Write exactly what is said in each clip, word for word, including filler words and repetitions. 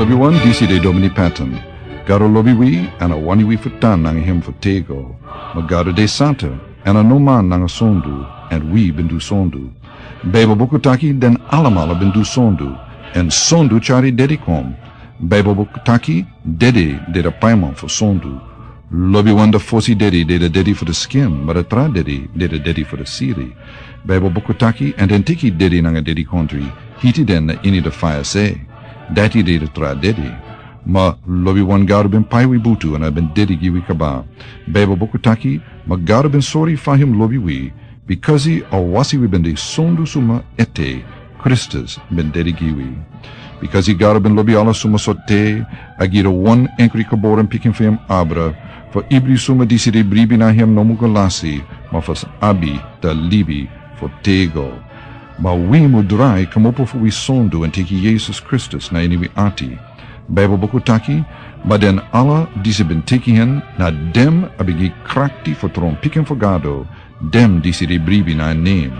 Wi wan disi de Domini Patton. Gado lobi wi, èn a wani wi fu tan nanga hem fu tego. Ma Gado de santa, èn a no man nanga sondu, èn wi ben du sondu. Baibel buku taki den alamala ben du sondu, èn sondu tyari dedi kon. Baibel buku taki dedi de de paiman fu sondu. Lobi wan de fosi dedi de de dedi fu de skin, ma de tra dedi de de dedi fu de siri. Baibel buku taki, èn den teki dedi nanga dedi kontri, hiti den na ini de faya se. Dati de de tra dedi. Ma lobi wan Gado ben pai wi butu èn a ben dedi gi wi kaba. Baibel buku taki, ma Gado ben sori fa hem lobi wi, bikasi a wasi wi ben de sondu suma ete, Kristus ben dedi gi wi. Bikasi Gado ben lobi ala suma so te, a gi de wan enkri geboren pikin fu hem abra, fu ibri suma disi de bribi na hem no mu go lasi, ma fu sa abi de libi fu tego. Ma wi mu drai kmopo fu wi sondu èn teki Yesus Kristus na ini wi ati. Baibel buku taki, ma den ala disi ben teki hen, na dem a ben gi krakti fu tron pikin fu Gado, dem disi de bribi na en nen.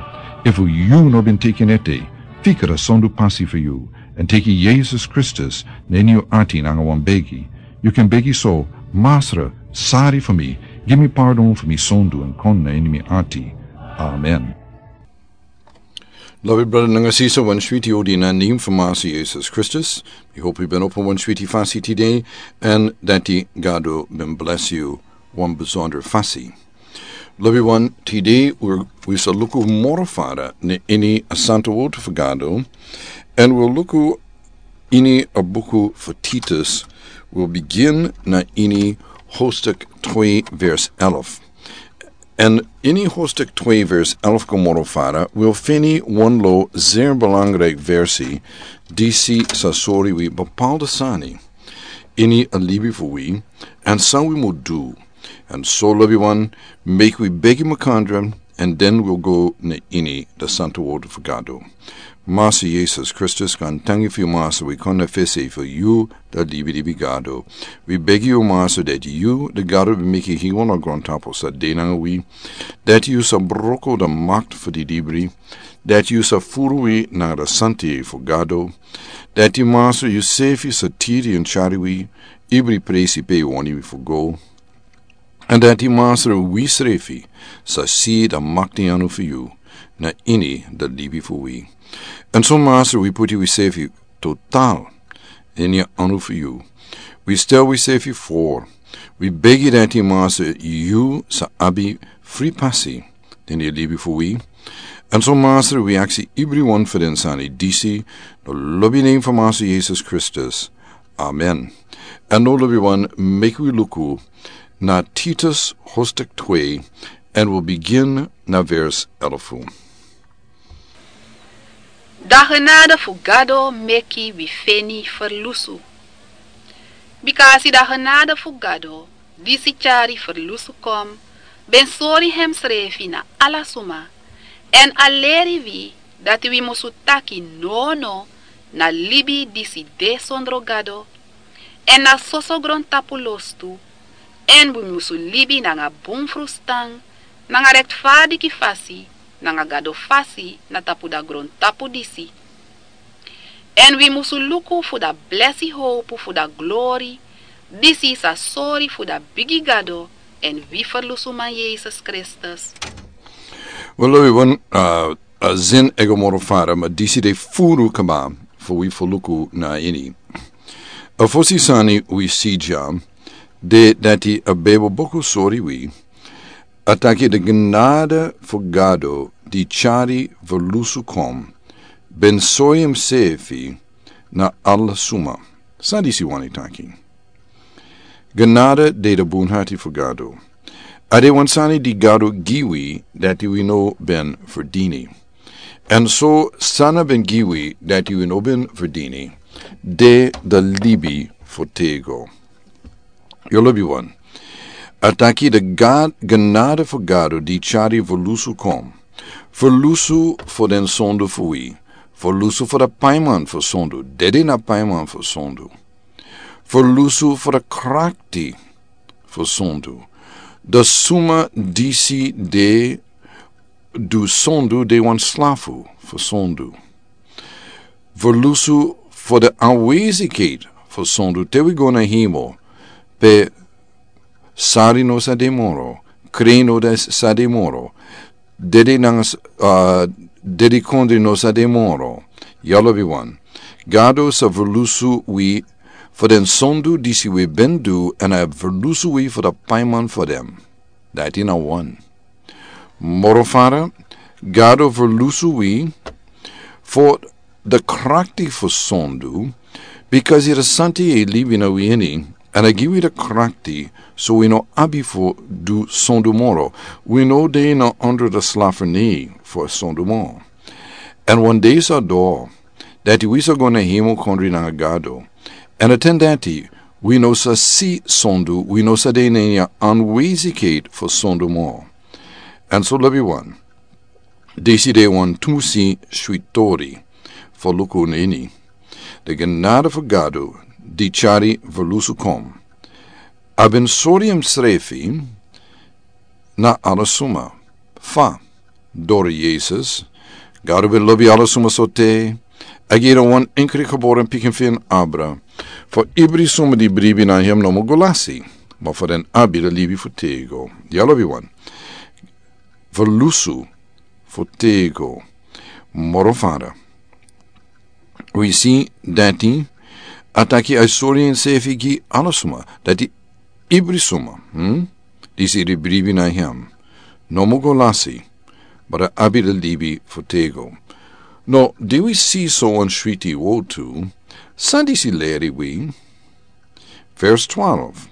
Efu yu no ben teki en ete, fika de sondu pasi fu yu, èn teki Yesus Kristus na ini yu ati nanga wan begi. Yu kan begi so, Masra, sari fu mi, gi mi pardon fu mi sondu èn kon na ini mi ati. Amen. Lobi brada nanga sisa, wan switi odi na nen fu Masra Yesus Kristus. Mi hopi yu ben opo wan switi fasi tide, èn dati Gado ben blesi yu wan besonder fasi. Lobi wan, tide wi, wi sa luku moro fara na ini a santa word fu Gado, èn wi luku ini a buku fu Titus, wi bigin na ini hostek twee vers elf. Èn ini hostek twee vers elf kon moro fara, wi feni wan lo zeer belangrijk versi, disi sa sori wi bepaalde sani ini a libi fu wi, èn san wi mu du. Èn so lobi wan, meki wi begi makandra, èn den wi go na ini de santa word fu Gado. Masra Yesus Kristus, gaantangi fu yu Masra, wi kon na fesi fu yu, de libi libi Gado. Wi begi yu Masra dati yu, de Gado ben meki hemel nanga grontapu, sa de nanga wi. Dati yu sa broko de makti fu di libri. Dati yu sa furu wi nanga de santidei fu Gado. Dati Masra yusefi sa tiri èn tyari wi, ibri presi pe yu wani wi fu go. Èn dati Masra wi srefi sa si de makti anu fu yu, na ini de libi fu wi. Èn so Masra wi puti wi srefi total ini anu fu yu. Wi stel wi srefi for. Wi begi dati Masra yu sa abi fri pasi ini libi fu wi. Èn so Masra wi aksi ibri wan fu den sani disi, na lobi nen fu Masra Yesus Kristus. Amen. Èn now lobi wan, meki wi luku na Titus hostek twee, èn wi bigin na vers elf. Da genade fu Gado meki wi feni ferlusu. Bikasi da genade fu Gado, disi tyari ferlusu kon, ben sori hemsrefi na ala suma, èn a leri wi dati wi musu taki nono na libi disi de sondro Gado, èn na soso grontapu lostu, èn wi musu libi nanga bun frustan, nanga rektfadiki fasi, nanga Gado fasi na tapu da grontapu disi. Èn wi musu luku fu da blesi howpu fu da glori, disi sa sori fu da bigi Gado èn wi ferlusuman Yesus Kristus. Wel, lobi wan, a, a zin ego moro fara, ma disi de furu kaba fu wi fu luku na ini. A fosi sani wi si dya, de dati a Bijbel buku sori wi, a taki de genade fu Gado di tyari ferlusu kon, ben sori hemsefi na ala suma. San disi wani taki? Genade de de bunhati fu Gado. A de wan sani di Gado gi wi dati wi no ben ferdini. Èn so san a ben gi wi dati wi no ben ferdini, de de libi fu tego. Yu lobi wan. A taki de Gad, genade fu Gado di tyari ferlusu kon. Ferlusu fu den sondu fu wi. Ferlusu fu de paiman fu sondu. Dede na paiman fu sondu. Ferlusu fu de krakti fu sondu. De suma disi de du sondu de wan slafu fu sondu. Ferlusu fu de anwezigheid fo sondu te wi go na himo, pe sari no sa de moro, kre no de sa de moro, dede nanga s-, ah, dede kondre no sa de moro. Yalo bi wan. Gado sa verlusu wi fo den sondu disi wi ben du, èn a verlusu wi fo da paiman fo dem. Dati na wan. Moro fara, Gado verlusu wi fo da krakti fo sondu, bikasi da santi e libi na wi ini, èn a gi wi da krakti, so wi no abi fo du sondu moro, wi no de na ondro da slaferni fo sondu moro. Èn wan de sa do, dati wi sa go na himo kondre nanga Gado. Èn a ten dati, wi no sa si sondu, wi no sa de na ini a anwezikheit fo sondu moro. Èn so lobi wan, disi de wan tusi switori fo luku na ini. De genade fo Gado di chari verlusu kon. A ben sori en srefi na ala suma. Fa, dori Yesus, Gado ben lobi ala suma so te, a gi en wan enkri geboren pikin fu en abra, fo ibri suma di bribi na hem no mu go lasi, ma fo den abi da libi fu tego. Yalo bi wan. Verlusu fu tego. Moro fara. Wi si dati, a taki a sori en srefi gi ala suma, dati ibri suma, hmm? Disi di bribi na hem. No mu go lasi, ma da abi da libi fu tego. No, di wi si so wan switi wotu, san disi leri wi? Vers twaalf.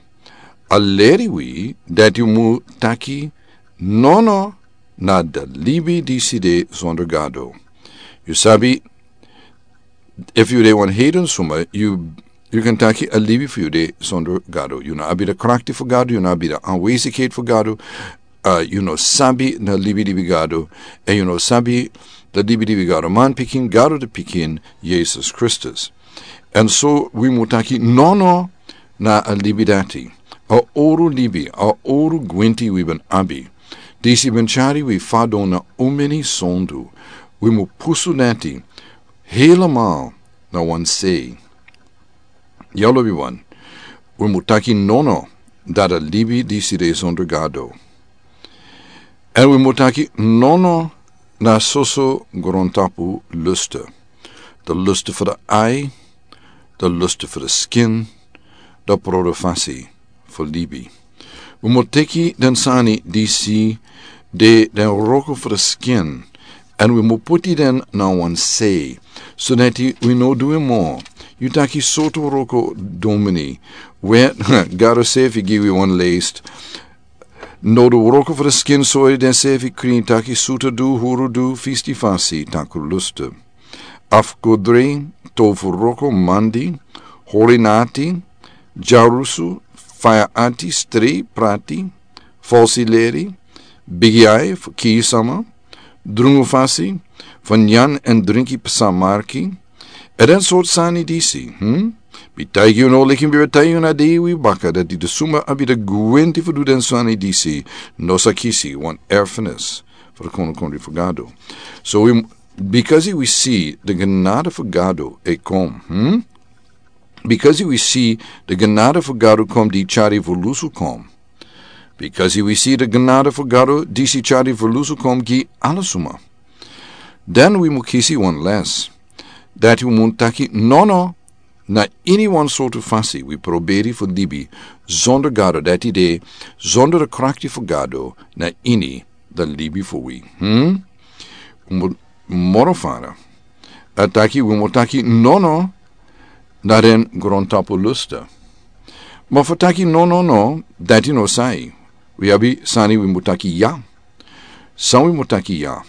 A leri wi dati mu taki nono na da libi disi de sonder Gado. Yu sabi, efu yu de wan heiden suma, yu, yu kan taki a libi fu yu de sonder Gado. Yu no abi da krakti fu Gado, yu no abi da anwezikheit fu Gado, ah, yu no sabi na libi di bi Gado, èn yu no sabi da libi di bi Gado. Man pikin, Gado di pikin, Yesus Kristus. Èn so wi mu taki nono na a libi dati. A oru libi, a oru gwenti wi ben abi. Disi ben chari wi fadon na umeni sondu. Wi mu pusu dati. Helemaal na wan sei. Yalo bi wan. Wi mu taki nono da da libi disi de sonder Gado. Èn wi mu taki nono na soso grontapu luste. Da luste fu da ai, da luste fu da skin, da prodofasi fu libi. Wi mu teki den sani disi de den wroko fu da skin, èn wi mu puti den na wan sei, so dati wi no du en moro. Yu taki sortu wroko domini. We, Gado srefi gi wi wan list. No du wroko fu da skin sori den srefi krin taki suta du, huru du, fisti fasi, takru luste. Afkodri, tofu wroko mandi, hori nati, dyarusu, faya ati, stri, prati, falsi leri, bigi ai fu kii sama, drungu fasi, fu nyan èn drinki psa marki, èn den sortu sani disi, hmm? Mi taigi yu no, leki mi ben taigi yu na dei wi baka, dati den suma abi da gwenti fu du den sani disi, no sa kisi wan erfenis fu da kondre fu Gado. So wi, bikasi wi si da genade fu Gado e kon, hmm? Bikasi wi si da genade fu Gado kon di chari verlusu kon. Bikasi wi si da genade fu Gado disi chari verlusu kon gi ala suma. Dan wi mu kisi wan les. Dati wi mu taki nono na ini wan sortu fasi wi proberi fu libi sonder Gado, dati de sonder da krakti fu Gado na ini da libi fu wi. Hmm? Wi mu moro fara. A taki wi mu taki nono na den grontapu luste. Ma fu taki nono no, dati no sai. Wi abi sani wi mu taki ya. San wi mu taki ya?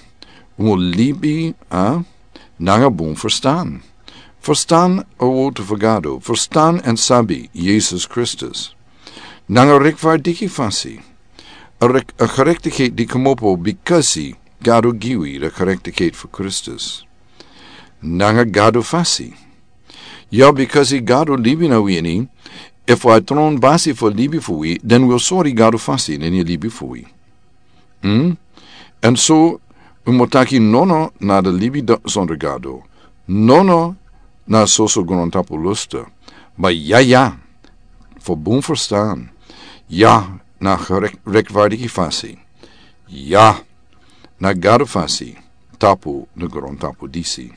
Wi mu libi, a, nanga bun ferstan. Ferstan a wotu fu Gado, ferstan èn sabi Yesus Kristus. Nanga rektfardiki fasi. A rek-, a gerechtigheid di komopo bikasi Gado gi wi da gerechtigheid fu Kristus. Nanga Gado fasi. Ya, bikasi Gado libi na wi ini, efu a tron basi fu libi fu wi, dan wi o sori Gado fasi na ini libi fu wi. Hmm? Èn so, wi mu taki nono na da libi da sonder Gado. Nono na soso grontapu luste. Ma ya ya, fo bun ferstan. Ya na gerek-, rekvardiki fasi. Ya na Gado fasi, tapu na grontapu disi.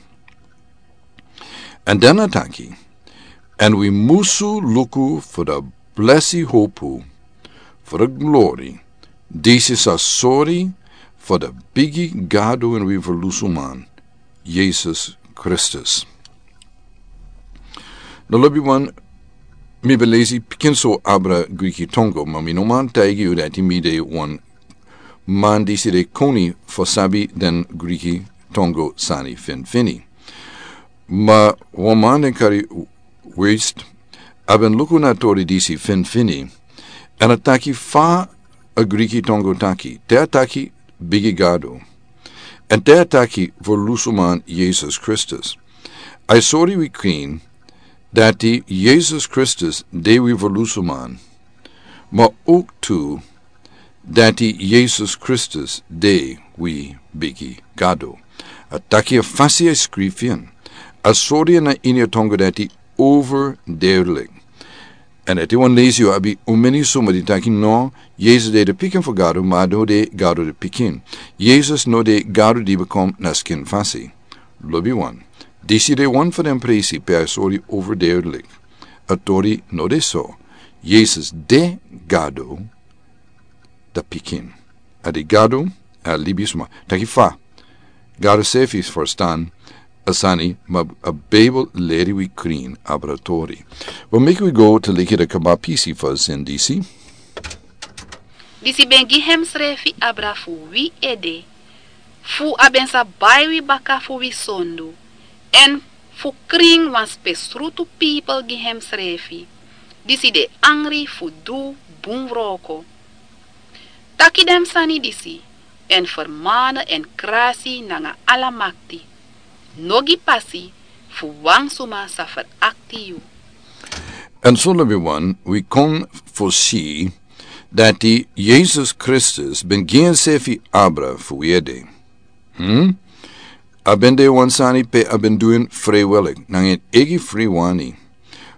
Èn dan a taki, èn wi musu luku fo de blesi hopu, fo de glori, disi sa sori fo de bigi Gado èn wi ferlusuman, Yesus Kristus. No lobi wan, mi ben lesi pikin so abra Griki tongo, ma mi no man taigi yu dati mi de wan man disi de koni fo sabi den Griki tongo sani finfini. Ma wan man den kari West, a ben luku na tori disi finfini, èn a taki fa a Griki tongo taki, te a taki bigi Gado, èn te a taki ferlusuman Yesus Kristus. A e sori wi krin, dati Yesus Kristus de wi ferlusuman, ma ook tu, dati Yesus Kristus de wi bigi Gado. A taki a fasi a skrifi en. A sori en na ini a tongo dati overduidelijk. Èn ete wan lesi yu abi un meni suma di taki no, Yesus de de pikin fu Gado, ma a no de Gado de pikin. Yesus no de Gado di ben kon na skin fasi. Lobi wan. Disi de wan fu den presi pe a sori overduidelijk. A tori no de so. Yesus de Gado, de pikin. A de Gado, a libisma. Taki fa. Gado sefi ferstan a sani, ma a Bijbel leri wi krin abra tori. Wel, meki wi go te leki de kaba pisi fu a zin disi. Disi ben gi hemsrefi abra fu wi ede, fu a ben sa bai wi baka fu wi sondu, èn fu krin wan spesrutu pipel gi hemsrefi, disi de angri fu du bun wroko. Taki den sani disi, èn fermane èn krasi nanga ala makti. No gi pasi fu wan suma sa ferakti yu. Èn so lobi wan, wi kon fu si dati Yesus Kristus ben gi ensefi abra fu wi ede. Hmm? A ben de wan sani pe a ben du en frijwillig, nanga en eigi fri wani.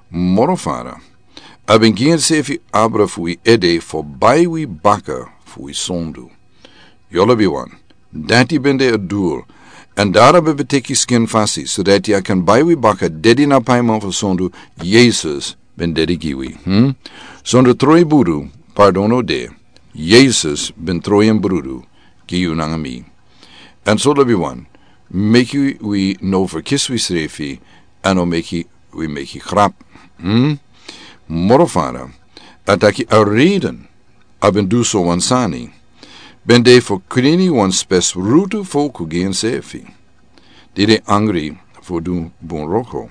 Moro fara, a ben gi ensefi abra fu wi ede fo bai wi baka fu wi sondu. Yu lobi wan, dati ben de a dul. Èn dati a ben teki skin fasi, so dati a kan bai wi baka, dedi na paiman fu sondu, Yesus ben dedi gi wi. Hmm? Sondu troi budu, pardon no de. Yesus ben troi en brudu gi yu nanga mi. Èn so lobi wan, meki wi no ferkisi wisrefi, èn no meki wi meki grap. Hmm? Moro fara, a taki a reden a ben du so wan sani ben de fu krini wan spesrutu folku gi ensefi, di de angri fu du bun wroko.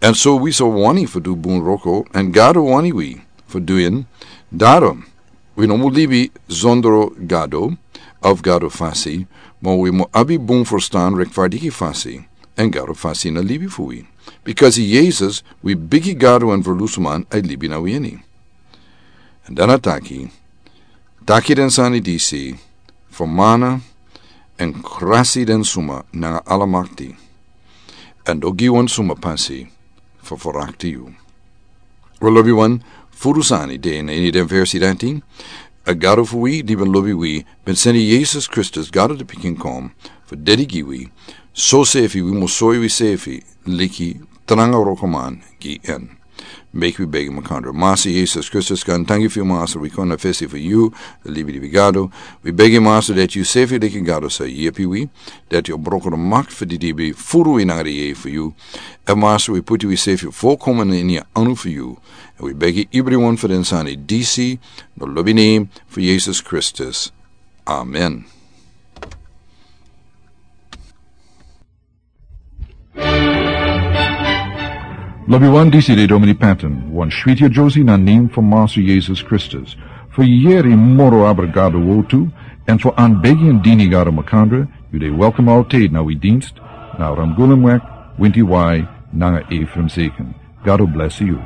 Èn so wi sa wani fu du bun wroko, èn Gado wani wi fu du en. Daarom, wi no mu libi zonder Gado, of Gado fasi, ma wi mu abi bun ferstan, rechtvaardige fasi, èn Gado fasi na libi fu wi. Because Yesus, wi bigi Gado èn ferlusuman, a e libi na wi ini. Èn dan a taki, taki den sani disi, fermane, èn krasi den suma nanga ala makti. Èn no gi wan suma pasi fu ferakti yu. Wel, lobi wan, furu sani de na ini den versi dati. A Gado fu wi, di ben lobi wi, ben seni Yesus Kristus, Gado de pikin, kon fu dedi gi wi. So sefi wi mu soi wisefi leki tranga wrokoman gi en. Meki wi begi makandra. Master Yesus Kristus, kan tangi fu yu, Master, wi kon na fesi fu yu, libi di wi Gado. Wi begi, Master, dati yu sefi leki Gado sa yepi wi, dati yu o broko den makti fu di dibi furu wi nanga di yeye fu yu. Èn Master, wi puti wisefi folkomen ini a anu fu yu. Èn wi begi ibri wan fu den sani disi, na lobi nen fu Yesus Kristus. Amen. Lobi wan, disi de Domini Patton, wan switi a Josie na nen fu Master Yesus Kristus. Fu yeri moro abra Gado wortu, èn fu anbegi èn dini Gado makandra, yu de welkom altijd na wi dienst, na Ramgulemweg, Winti Wai, nanga Ephraim Zeken. Gado blesi yu.